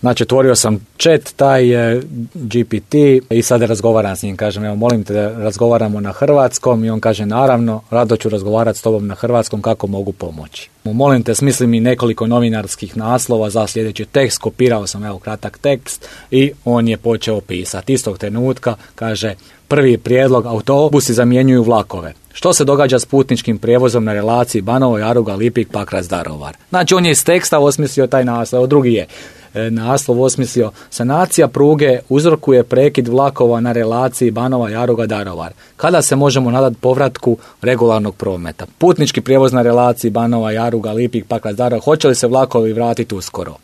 Znači, otvorio sam chat, taj GPT i sad razgovaram s njim. Kažem, evo, molim te da razgovaramo na hrvatskom i on kaže, naravno, rado ću razgovarati s tobom na hrvatskom, kako mogu pomoći. Molim te, smisli mi nekoliko novinarskih naslova za sljedeći tekst, kopirao sam, evo, kratak tekst i on je počeo pisati. Istog trenutka, kaže, prvi prijedlog, autobusi zamjenjuju vlakove. Što se događa s putničkim prijevozom na relaciji Banovo Jaruga, Lipik, Pakrac, Daruvar? Znači, on je iz teksta osmislio taj naslov. Drugi je naslov osmislio, sanacija pruge uzrokuje prekid vlakova na relaciji Banova Jaruga, Daruvar. Kada se možemo nadati povratku regularnog prometa? Putnički prijevoz na relaciji Banova Jaruga, Lipik, Pakrac, Daruvar. Hoće li se vlakovi vratiti uskoro?